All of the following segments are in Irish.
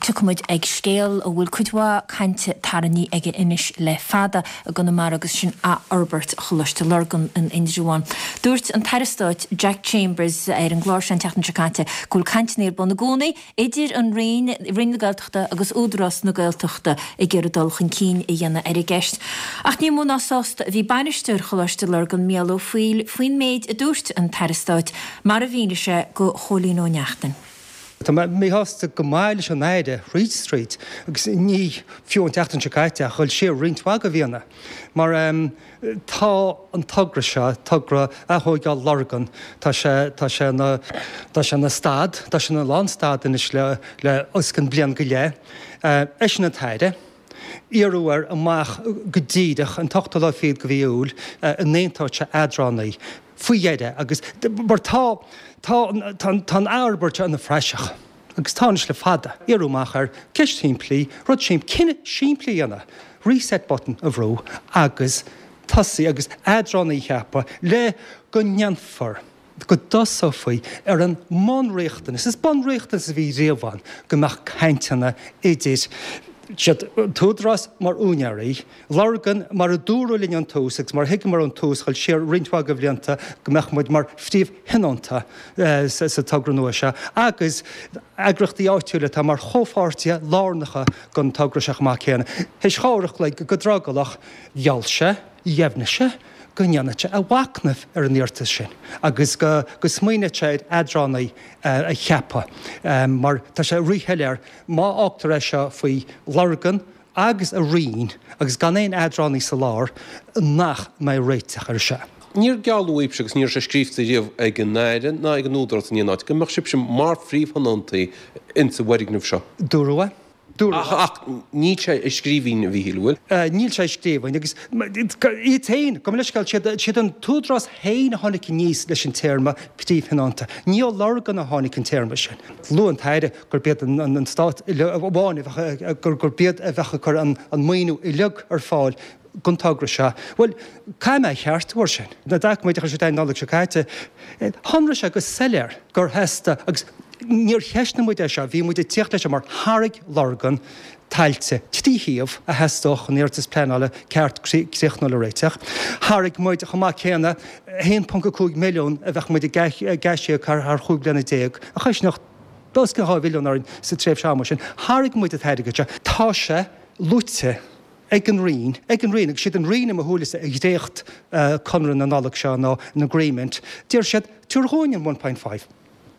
Tiocfaidh muid ag scéal a bhfuil cuid mhaith cainte tarraingthe aige anois le fada i gConamara agus sin athfhorbairt Choláiste Lurgan in Indreabhán. Dúirt an tAire Stáit Jack Chambers ar an gclár seo an tseachtain seo caite go bhfuil cainteanna ar bun i gcónaí idir an Roinn, Roinn na Gaeltachta agus Údarás na Gaeltachta ag iarraidh dul chun cinn a dhéanamh ar an gceist. Ach ní mó ná sásta a bhí bainisteoir Choláiste Lurgan, Mícheál Ó Foighil, faoin méid a dúirt an tAire Stáit, mar a mhínigh sé do Chóilín Ó Neachtain. Tá mé míshásta go maith leis an Aire thríd is tríd agus ní fiú an tseachtain seo caite ach dhul siar roinnt mhaith de mhíonna mar tá an togra seo, togra athóigeáil Lurgan, tá sé, tá sé ina, tá sé ina stad, tá sé ina lánstad anois le, le os cionn bliain go leith. Eisean an tAire. Iarradh air amach go díreach an t-ochtú lá fichead de mhí Iúil an n-aontódh sé eadránaí faoi dheireadh agus mar tá, tá, tá, tá an athfhorbairt seo ina phraiseach agus tá anois le fada. Iarradh amach air ceist shimplí, rud simplí, cinneadh simplí a dhéanamh, reset button a bhrú agus tosaí agus eadránaí a cheapadh le go ndéanfar go dtosófaí ar an mbunriachtanas, is bunriachtanas a bhí riamh ann, go mbeadh cainteanna idir siad, an tÚdarás mar úinéirí, Lurgan mar a dúradh linn ón tús agus mar a thuigeamar ón tús, dhul siar roinnt mhaith de bhlianta, go mbeadh muid mar phríomhthionónta sa togra nua seo agus eagraíochtaí áitiúla atá mar chomhpháirtithe lárnacha den togra seo chomh maith céanna. Théis dhá uair a chloig go drogallach, gheall sé, dheimhnigh sé, go ndéanfadh sé a mhachnamh ar an iarratas sin agus go smaoineodh sé ar eadránaí a cheapadh mar tá sé ríshoiléir má fhágtar é seo faoi Lurgan agus a Roinn agus gan aon eadránaí sa lár nach mbeidh réiteach air seo. Níor gealladh dhaoibhse agus ní raibh sé scríofa riamh ag an Aire ná ag an Údarás in aon áit go mbeadh sibhse mar phríomhthionóntaí insa bhfoirgneamh seo. Dúradh é. Dúradh. Ach níl sé i scríbhinn, a Mhíchíl, an bhfuil? Níl sé i scríbhinn agus iad féin, gabh mo leithscéal, siad an tÚdarás féin a tháinig aníos leis an téarma príomhthionónta. Ní ó Lurgan a tháinig an téarma sin. Luaigh an tAire gurb iad an Stát amháin a bheadh, gurb iad a bheadh ag cur an maoiniú uilig ar fáil don togra seo. Bhuel, caithfidh mé a cheartú air sin. Na doiciméid a chuir siad an Nollaig seo caite, shonraigh sé go soiléir gur theastaigh, agus níor cheistnigh muid é seo, bhí muid ag tíocht leis seo mar thairg Lurgan tailte trí shuíomh a theastódh chun iarratas pleanála ceart críochnúil a réiteach. Thairg muid chomh maith céanna 1.5 milliún a bheadh muid ag aisíoc thar chúig bliana déag, a choisneodh os cionn 2 mhilliún orainn sa tréimhse ama sin. Thairg muid an t-airgead seo. Tá sé luaite. ag an Roinn, ag an Roinn, agus siad an Roinn i mo shúilese a dhréacht conradh na Nollag seo nó an agreement, deir siad, tabhair dhúinn an 1.5,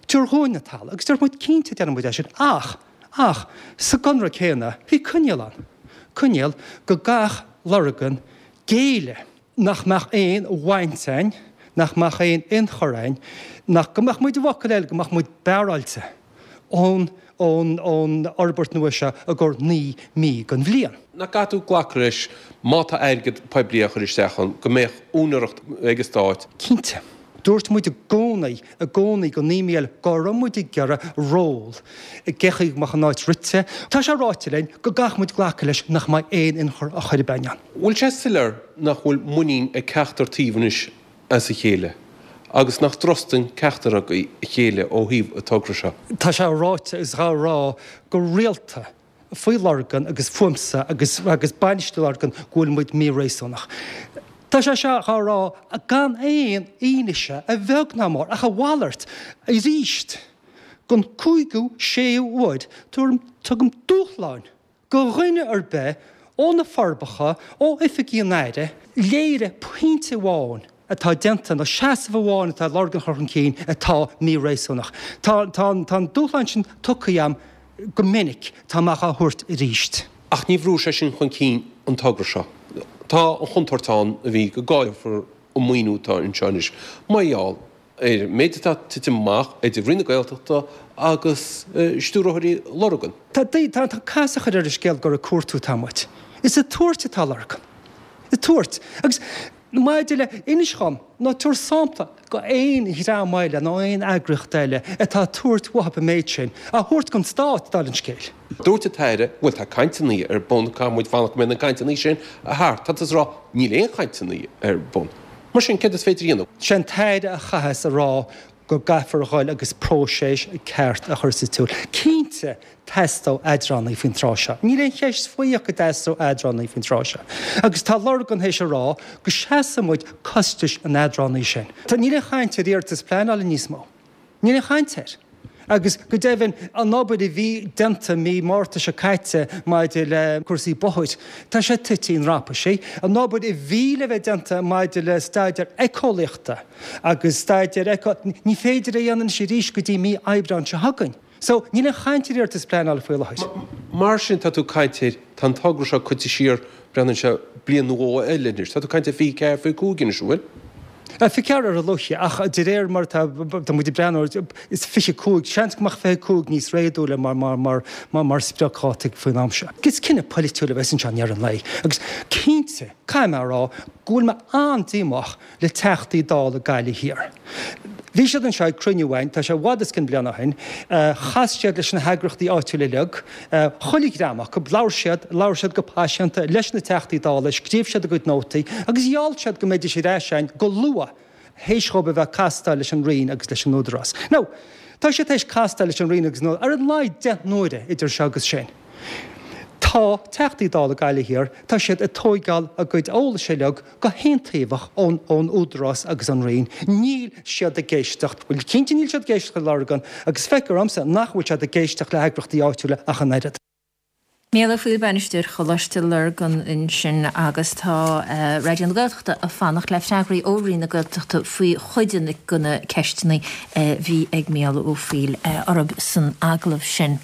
tabhair dhúinn an talamh, agus deir muid, cinnte déanfaidh muid é sin, ach, ach, sa gconradh céanna, bhí coinníoll ann, coinníoll go gcaithfeadh Lurgan géilleadh. nach mbeadh aon bhaint a'inn, nach mbeadh aon ionchur a'inn, nach, go mbeadh muid, i bhfocail eile, go mbeadh muid bearáilte ón, ón, ón fhorbairt nua seo i gcomhair 9 mí den bhliain. Nach gcaithfidh tú glacadh leis, má tá airgead poiblí á chur isteach ann, go mbeadh úinéireacht ag an Stát? Cinnte. Dúirt muid i gcónaí, i gcónaí go Mícheál go raibh muid ag iarraidh ról i gcé chaoi go mbeadh an áit rite. Tá sé ráite linn go gcaithfidh muid glacadh leis nach mbeidh aon ionchur á chur againn ann. Bhfuil sé soiléir nach bhfuil muinín ag ceachtar taobh anois as a chéile agus nach dtrustann ceachtar acu a chéile ó thaobh an togra seo? Tá sé ráite is dhá rá go rialta faoi Lurgan agus fúmsa agus agus bainistiú Lurgan go bhfuil muid míréasúnach. Tá sé seo dhá rá gan aon fhianaise, a bheag ná a mhór, ach a mhalairt. Arís, don cúigiú, séú uair, tugaim, tugaim dúshláin go dhuine ar bith ó na Forbacha, ó oifigí an Aire, léirigh pointe amháin atá déanta nó seasamh amháin atá Lurgan a chur chun cinn atá míréasúnach. Tá, tá, tá an dúshlán sin tugtha agam go minic, tá mé dhá thabhairt arís. Ach ní bhrúfaidh sé sin chun cinn an togra seo. Tá an chontúirt ann, a Mhíchíl, go gcaillfear an maoiniú atá anseo anois mar gheall ar an méid atá ag titim amach idir Roinn na Gaeltachta agus stiúrthóirí Lurgan. Tá, tá, tá casadh á chur ar an scéal gur ag cuartú atá muid. Is ag tabhairt atá Lurgan. Ag tabhairt. Agus Maidir le, inis dhom, nó tabhair sampla go aon dhream eile nó aon eagraíocht eile atá ag tabhairt uathub an méid sin, á thabhairt don Stát, dála an scéil. Dúirt an tAire, bhuel tá cainteanna ar bun, caithfidh muid fanacht go mbeidh na cainteanna sin thart. Tá tusa ag rá, níl aon chainteanna ar bun. Mar sin, céard is féidir a dhéanamh? Sé an tAire a chaitheas a rá. go gcaithfear a dhul agus próiseas ceart a chur sa tsiúl. Cinnte, teastóidh eadránaí faoin tráth seo. Níl aon cheist faoi ach go dteastóidh eadránaí faoin tráth seo. Agus tá Lurgan théis a rá go seasfaidh muid costais an eadránaí sin. Níl aon chaint ar iarratas pleanála níos mó. Níl aon chaint air. Agus go deimhin, an obair a bhí déanta mí Márta seo caite maidir le cúrsaí bóthair, tá sé tite i ndrapaisí. An obair a bhí le bheith déanta maidir le staidéar éiceolaíochta agus staidéar éico, ní féidir é a dhéanamh anois arís go dtí mí Aibreáin seo chugainn. So, níl aon chaint ar iarratas pleanála faoi láthair. Mar sin, tá tú ag caint ar, tá an togra seo caite siar, breathnaíonn sé, bliain nó dhó eile anois. Tá tú ag caint ar 24, 25 anois, an bhfuil? 24 ar a luaithe, ach de réir mar atá, tá muid ag breathnú air, is 25, seans go mbeadh 25 níos réadúla mar, mar, mar, mar, mar spriocdháta faoin am seo. Is cinneadh polaitiúil a bheas anseo i ndeireadh an lae. Agus cinnte, caithfidh mé a rá go bhfuil mé an-díomách le Teachtaí Dála Gaillimh Thiar. Bhí siad anseo ag cruinniú againn, tá sé i bhfad os cionn bliana ó shin, chas siad leis na heagraíochtaí áitiúla uilig, chuile dhream acu, labhair siad, labhair siad go paiseanta leis na Teachtaí Dála, scríobh siad a gcuid nótaí agus gheall siad go mbeidís ar ais againn go luath théis dhóibh a bheith ag castáil leis an Roinn agus leis an Údarás. Now, tá siad théis castáil leis an Roinn agus an Údarás ar a laghad 10 n-uaire idir seo agus sin. Tá Teachtaí Dála Gaillimh Thiar, tá siad ag tóigeáil a gcuid eolais uilig go haontaobhach ón ón Údarás agus ón Roinn. Níl siad ag éisteacht, bhuel cinnte níl siad ag éisteacht le Lurgan agus feictear dhomsa nach bhfuil siad ag éisteacht le heagraíochtaí áitiúla ach an oiread. Mícheál Ó Foighil, Bainisteoir Choláiste Lurgan ansin agus tá Raidió na Gaeltachta ag fanacht le freagraí ó Roinn na Gaeltachta faoi chuid de na ceisteanna a bhí ag Mícheál Ó Foighil orthu san agallamh sin.